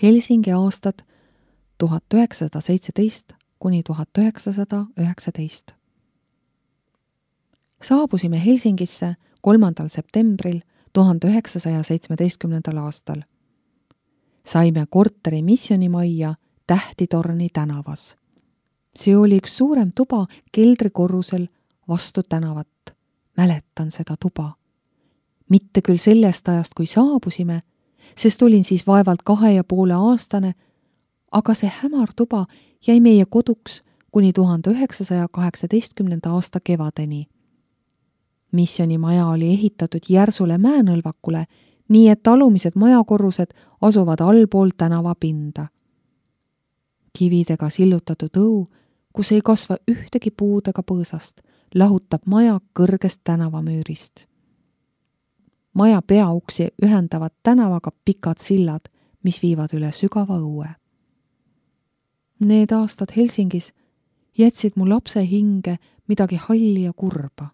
Helsingi aastad 1917 kuni 1919. Saabusime Helsingisse 3. septembril 1917. aastal. Saime korteri missionimajja Tähtitorni tänavas. See oli üks suurem tuba keldrikorrusel vastu tänavat. Mäletan seda tuba. Mitte küll sellest ajast, kui saabusime, sest olin siis vaevalt 2,5-aastane, aga see hämar tuba jäi meie koduks kuni 1918. aasta kevadeni. Missionimaja oli ehitatud järsule mäenõlvakule, nii et alumised majakorrused asuvad allpool tänavapinda. Kividega sillutatud õu, kus ei kasva ühtegi puud ega põõsast, lahutab maja kõrgest tänavamüürist. Maja peauksi ühendavad tänavaga pikad sillad, mis viivad üle sügava õue. Need aastad Helsingis jätsid mu lapse hinge midagi halli ja kurba.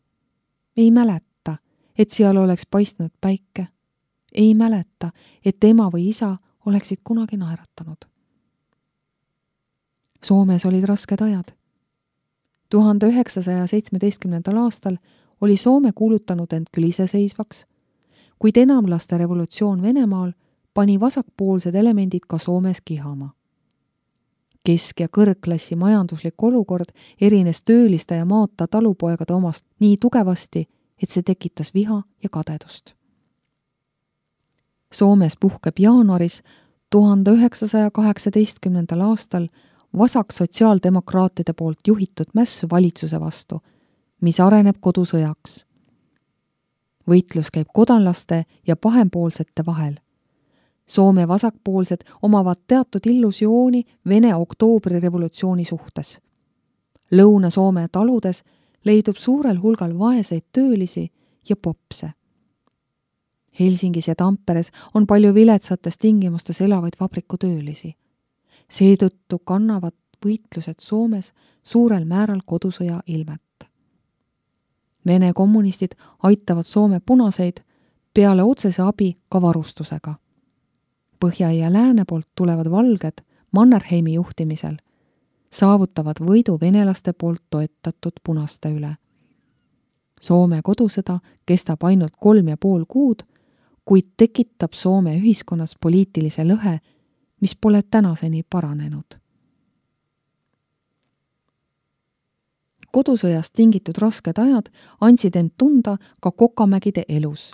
Ei mäleta, et seal oleks paistnud päike. Ei mäleta, et ema või isa oleksid kunagi naeratanud. Soomes olid rasked ajad. 1917. aastal oli Soome kuulutanud end küll iseseisvaks, kuid enamlaste revolutsioon Venemaal pani vasakpoolsed elemendid ka Soomes kihama. Kesk- ja kõrgklassi majanduslik olukord erines tööliste ja maata talupoegade omast nii tugevasti, et see tekitas viha ja kadedust. Soomes puhkeb jaanuaris 1918. aastal vasak sotsiaaldemokraatide poolt juhitud mässu valitsuse vastu, mis areneb kodusõjaks. Võitlus käib kodanlaste ja pahempoolsete vahel. Soome vasakpoolsed omavad teatud illusiooni Vene oktoobrirevolutsiooni suhtes. Lõuna-Soome taludes leidub suurel hulgal vaeseid töölisi ja popse. Helsingis ja Tamperes on palju viletsates tingimustes elavaid vabrikutöölisi. Seetõttu kannavad võitlused Soomes suurel määral kodusõja ilmet. Vene kommunistid aitavad Soome punaseid peale otsese abi ka varustusega. Põhja ja lääne poolt tulevad valged Mannerheimi juhtimisel saavutavad võidu venelaste poolt toetatud punaste üle. Soome kodusõda kestab ainult 3,5 kuud, kuid tekitab Soome ühiskonnas poliitilise lõhe, mis pole tänaseni paranenud. Kodusõjast tingitud rasked ajad andsid end tunda ka Kokamägide elus.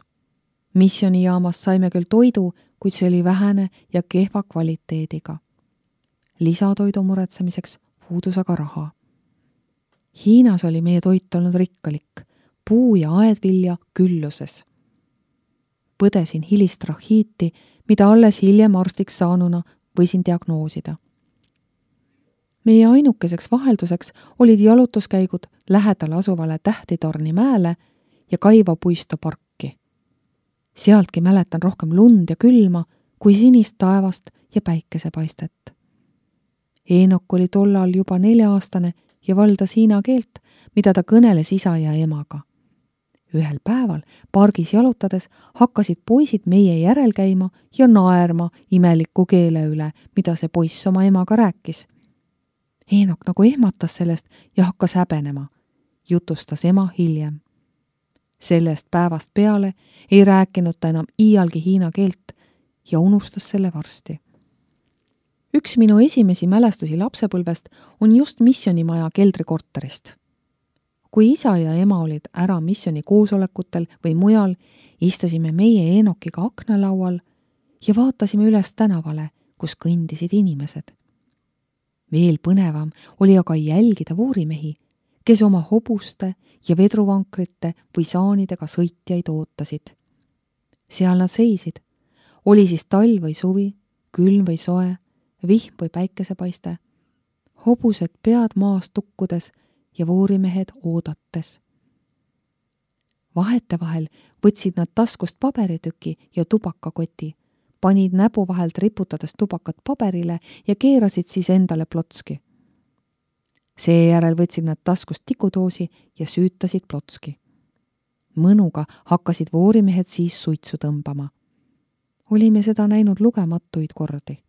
Missionijaamast saime küll toidu, kuid see oli vähene ja kehva kvaliteediga. Lisatoidu muretsemiseks puudus aga raha. Hiinas oli meie toit olnud rikkalik, puu- ja aedvilja külluses. Põdesin hilistrahhiiti, mida alles hiljem arstiks saanuna võisin diagnoosida. Meie ainukeseks vahelduseks olid jalutuskäigud lähedal asuvale Tähtitorni mäele ja Kaiva puisto parki. Sealtki mäletan rohkem lund ja külma kui sinist taevast ja päikesepaistet. Eenok oli tollal juba 4-aastane ja valdas hiina keelt, mida ta kõneles isa ja emaga. Ühel päeval pargis jalutades hakkasid poisid meie järel käima ja naerma imeliku keele üle, mida see poiss oma emaga rääkis. Eenok nagu ehmatas sellest ja hakkas häbenema, jutustas ema hiljem. Sellest päevast peale ei rääkinud ta enam iialgi hiina keelt ja unustas selle varsti. Üks minu esimesi mälestusi lapsepõlvest on just missionimaja keldrikorterist. Kui isa ja ema olid ära missioni koosolekutel või mujal, istusime meie Eenokiga aknalaual ja vaatasime üles tänavale, kus kõndisid inimesed. Veel põnevam oli aga jälgida vuurimehi, kes oma hobuste ja vedruvankrite või saanidega sõitjaid ootasid. Seal nad seisid. Oli siis talv või suvi, külm või soe, vihm või päikesepaiste. Hobused pead maas tukkudes ja vuurimehed oodates. Vahetevahel võtsid nad taskust paberitüki ja tubakakoti, panid näpu vahelt riputades tubakat paberile ja keerasid siis endale plotski. Seejärel võtsid nad taskust tikudoosi ja süütasid plotski. Mõnuga hakkasid vuurimehed siis suitsu tõmbama. Olime seda näinud lugematuid kordi.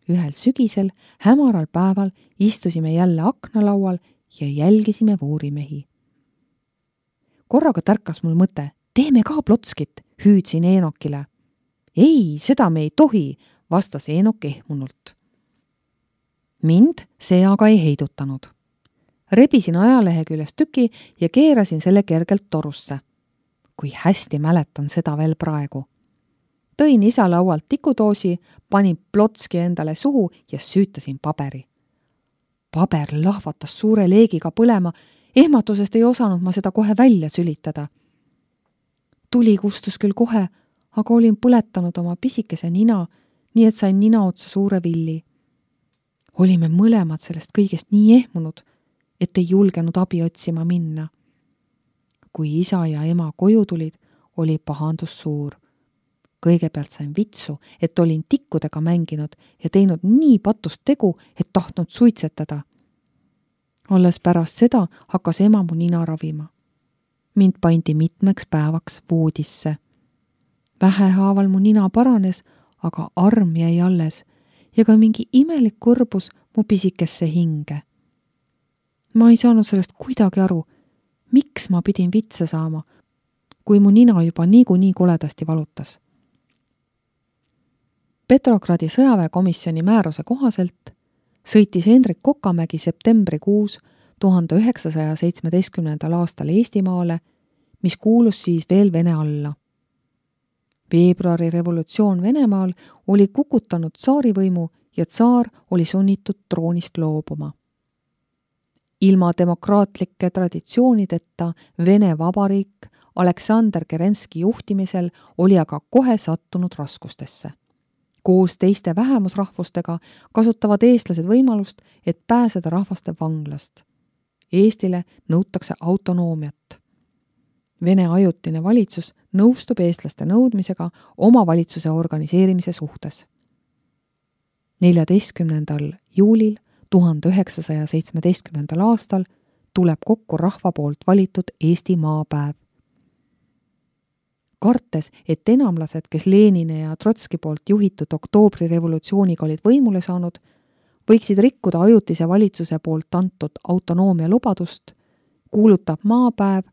Ühel sügisel hämaral päeval istusime jälle aknalaual ja jälgisime voorimehi. Korraga tärkas mul mõte, teeme ka plotskit, hüüdsin Eenokile. Ei, seda me ei tohi, vastas Eenok ehmunult. Mind see aga ei heidutanud. Rebisin ajalehe küljest tüki ja keerasin selle kergelt torusse. Kui hästi mäletan seda veel praegu. Tõin isa laualt tikudoosi, panin plotski endale suhu ja süütasin paberi. Paber lahvatas suure leegiga põlema, ehmatusest ei osanud ma seda kohe välja sülitada. Tuli kustus küll kohe, aga olin põletanud oma pisikese nina, nii et sain nina otsa suure villi. Olime mõlemad sellest kõigest nii ehmunud, et ei julgenud abi otsima minna. Kui isa ja ema koju tulid, oli pahandus suur. Kõigepealt sain vitsu, et olin tikkudega mänginud ja teinud nii patust tegu, et tahtnud suitsetada. Alles pärast seda hakkas ema mu nina ravima. Mind pandi mitmeks päevaks voodisse. Vähehaaval mu nina paranes, aga arm jäi alles ja ka mingi imelik kõrbus mu pisikesse hinge. Ma ei saanud sellest kuidagi aru, miks ma pidin vitse saama, kui mu nina juba niikuinii koledasti valutas. Petrogradi sõjaväekomisjoni määruse kohaselt sõitis Hendrik Kokamägi septembrikuus 1917. aastal Eestimaale, mis kuulus siis veel Vene alla. Veebruari revolutsioon Venemaal oli kukutanud tsaarivõimu ja tsaar oli sunnitud troonist loobuma. Ilma demokraatlike traditsioonideta Vene Vabariik Aleksander Kerenski juhtimisel oli aga kohe sattunud raskustesse. Koos teiste vähemusrahvustega kasutavad eestlased võimalust, et pääseda rahvaste vanglast. Eestile nõutakse autonoomiat. Vene ajutine valitsus nõustub eestlaste nõudmisega omavalitsuse organiseerimise suhtes. 14. juulil 1917. aastal tuleb kokku rahva poolt valitud Eesti maapäev. Kartes, et enamlased, kes Lenini ja Trotski poolt juhitud oktoobrirevolutsiooniga olid võimule saanud, võiksid rikkuda ajutise valitsuse poolt antud autonoomia lubadust, kuulutab maapäev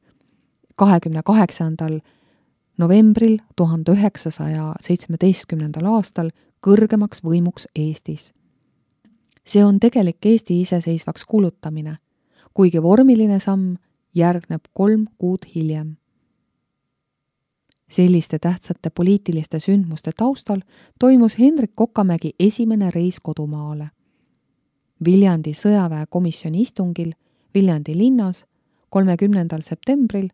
28. novembril 1917. aastal kõrgemaks võimuks Eestis. See on tegelik Eesti iseseisvaks kuulutamine, kuigi vormiline samm järgneb 3 kuud hiljem. Selliste tähtsate poliitiliste sündmuste taustal toimus Hendrik Kokamägi esimene reis kodumaale. Viljandi sõjaväekomisjoni istungil Viljandi linnas 30. septembril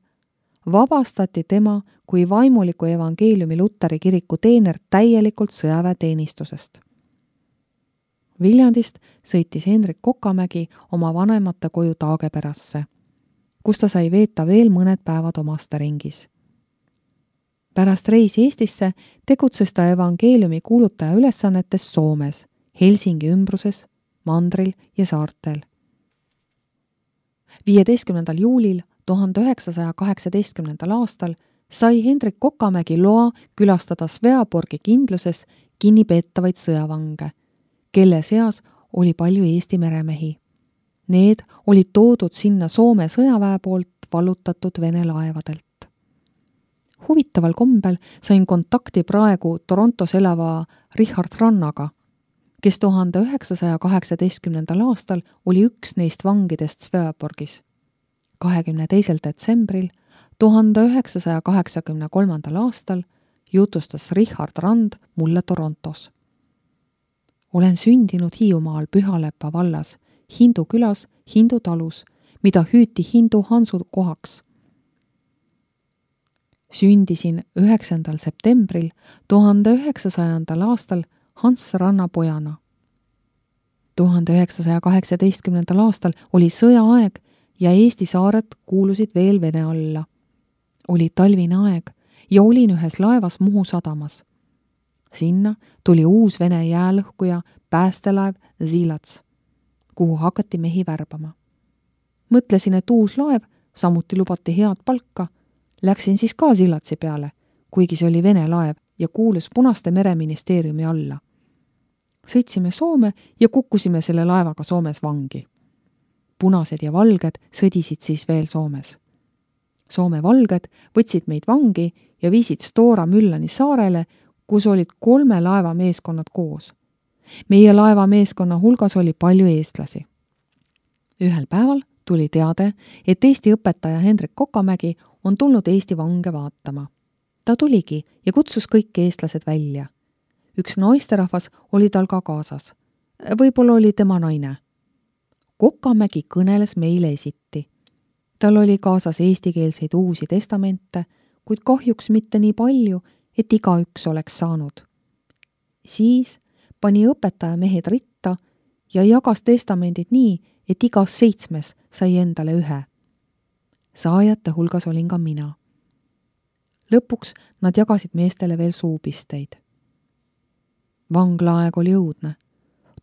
vabastati tema kui vaimuliku evangeeliumi Luteri kiriku teener täielikult sõjaväeteenistusest. Viljandist sõitis Hendrik Kokamägi oma vanemate koju Taageperasse, kus ta sai veeta veel mõned päevad omasteringis. Pärast reisi Eestisse tegutses ta evangeeliumi kuulutaja ülesannetes Soomes, Helsingi ümbruses, Mandril ja saartel. 15. juulil 1918. aastal sai Hendrik Kokamägi loa külastada Sveaborgi kindluses kinnipeetavaid sõjavange, kelle seas oli palju Eesti meremehi. Need olid toodud sinna Soome sõjaväe poolt vallutatud Vene laevadelt. Huvitaval kombel sain kontakti praegu Torontos elava Richard Rannaga, kes 1918. aastal oli üks neist vangidest Sveaborgis. 22. detsembril 1983. aastal jutustas Richard Rand mulle Torontos. Olen sündinud Hiiumaal Pühalepa vallas, Hindu külas, Hindu talus, mida hüüti Hindu Hansu kohaks. Sündisin 9. septembril 1900. aastal Hans Ranna pojana. 1918. aastal oli sõjaaeg ja Eesti saared kuulusid veel Vene alla. Oli talvine aeg ja olin ühes laevas Muhu sadamas. Sinna tuli uus Vene jäälõhkuja päästelaev Zilats, kuhu hakati mehi värbama. Mõtlesin, et uus laev, samuti lubati head palka. Läksin siis ka Zilatsi peale, kuigi see oli Vene laev ja kuulus Punaste mereministeeriumi alla. sõitsime Soome ja kukkusime selle laevaga Soomes vangi. Punased ja valged sõdisid siis veel Soomes. Soome valged võtsid meid vangi ja viisid Stora Müllani saarele, kus olid 3 laevameeskonnad koos. Meie laevameeskonna hulgas oli palju eestlasi. Ühel päeval tuli teade, et Eesti õpetaja Hendrik Kokamägi on tulnud Eesti vange vaatama. Ta tuligi ja kutsus kõik eestlased välja. Üks naisterahvas oli tal ka kaasas. Võib-olla oli tema naine. Kokamägi kõneles meile esiti. Tal oli kaasas eestikeelseid uusi testamente, kuid kahjuks mitte nii palju, et igaüks oleks saanud. Siis pani õpetaja mehed ritta ja jagas testamendid nii, et igas 7 sai endale 1. Saajate hulgas olin ka mina. Lõpuks nad jagasid meestele veel suupisteid. Vanglaaeg oli õudne.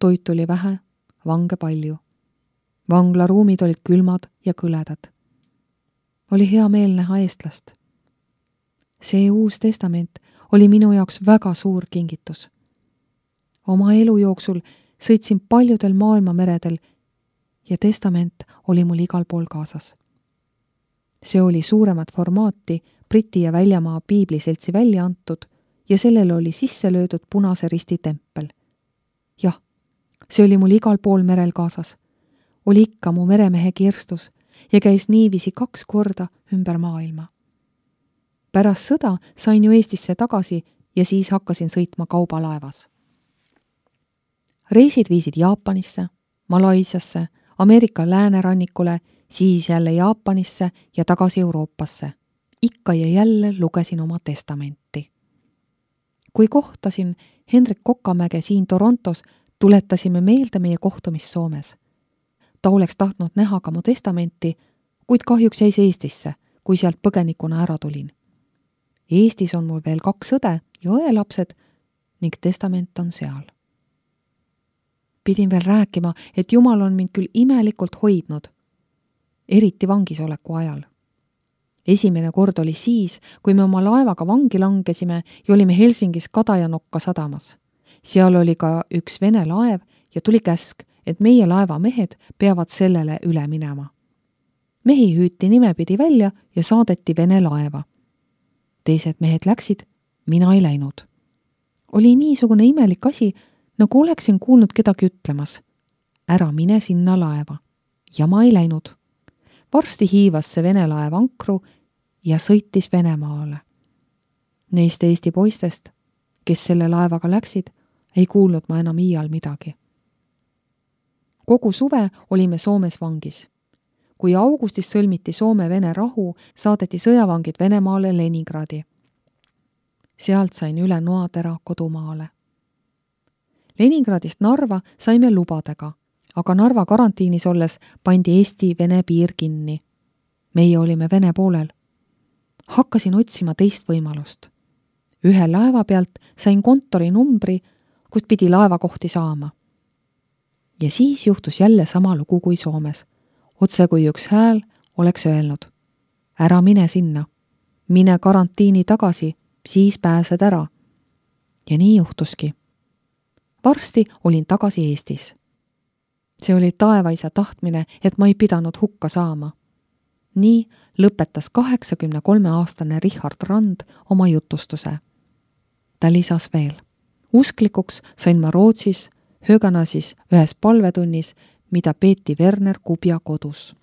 Toit oli vähe, vange palju. Vanglaruumid olid külmad ja kõledad. Oli hea meel näha eestlast. See uus testament oli minu jaoks väga suur kingitus. Oma elu jooksul sõitsin paljudel maailma meredel ja testament oli mul igal pool kaasas. See oli suuremat formaati Briti ja Väljamaa piibliseltsi välja antud ja sellele oli sisse löödud Punase Risti tempel. Jah, see oli mul igal pool merel kaasas. Oli ikka mu meremehe kirstus ja käis niiviisi 2 korda ümber maailma. Pärast sõda sain ju Eestisse tagasi ja siis hakkasin sõitma kaubalaevas. Reisid viisid Jaapanisse, Malaisiasse, Ameerika läänerannikule, siis jälle Jaapanisse ja tagasi Euroopasse. Ikka ja jälle lugesin oma testamenti. Kui kohtasin Hendrik Kokamäge siin Torontos, tuletasime meelde meie kohtumist Soomes. Ta oleks tahtnud näha ka mu testamenti, kuid kahjuks jäis Eestisse, kui sealt põgenikuna ära tulin. Eestis on mul veel 2 õde ja õelapsed ning testament on seal. Pidin veel rääkima, et Jumal on mind küll imelikult hoidnud, eriti vangisoleku ajal. Esimene kord oli siis, kui me oma laevaga vangi langesime ja olime Helsingis Kadajanokka sadamas. Seal oli ka üks Vene laev ja tuli käsk, et meie laeva mehed peavad sellele üle minema. Mehi hüüti nimepidi välja ja saadeti Vene laeva. Teised mehed läksid, mina ei läinud. Oli niisugune imelik asi, nagu oleksin kuulnud kedagi ütlemas. Ära mine sinna laeva. Ja ma ei läinud. Varsti hiivas see Vene laev ankru ja sõitis Venemaale. Neist Eesti poistest, kes selle laevaga läksid, ei kuulnud ma enam iial midagi. Kogu suve olime Soomes vangis. Kui augustis sõlmiti Soome-Vene rahu, saadeti sõjavangid Venemaale Leningradi. Sealt sain üle noatera kodumaale. Leningradist Narva saime lubadega, aga Narva karantiinis olles pandi Eesti-Vene piir kinni. Meie olime Vene poolel. Hakkasin otsima teist võimalust. Ühe laeva pealt sain kontori numbri, kust pidi laevakohti saama. Ja siis juhtus jälle sama lugu kui Soomes. Otse kui üks hääl oleks öelnud. Ära mine sinna. Mine karantiini tagasi, siis pääsed ära. Ja nii juhtuski. Varsti olin tagasi Eestis. See oli taevaisa tahtmine, et ma ei pidanud hukka saama. Nii lõpetas 83-aastane Richard Rand oma jutustuse. Ta lisas veel. Usklikuks sain ma Rootsis, Höganasis ühes palvetunnis, mida peeti Werner Kubja kodus.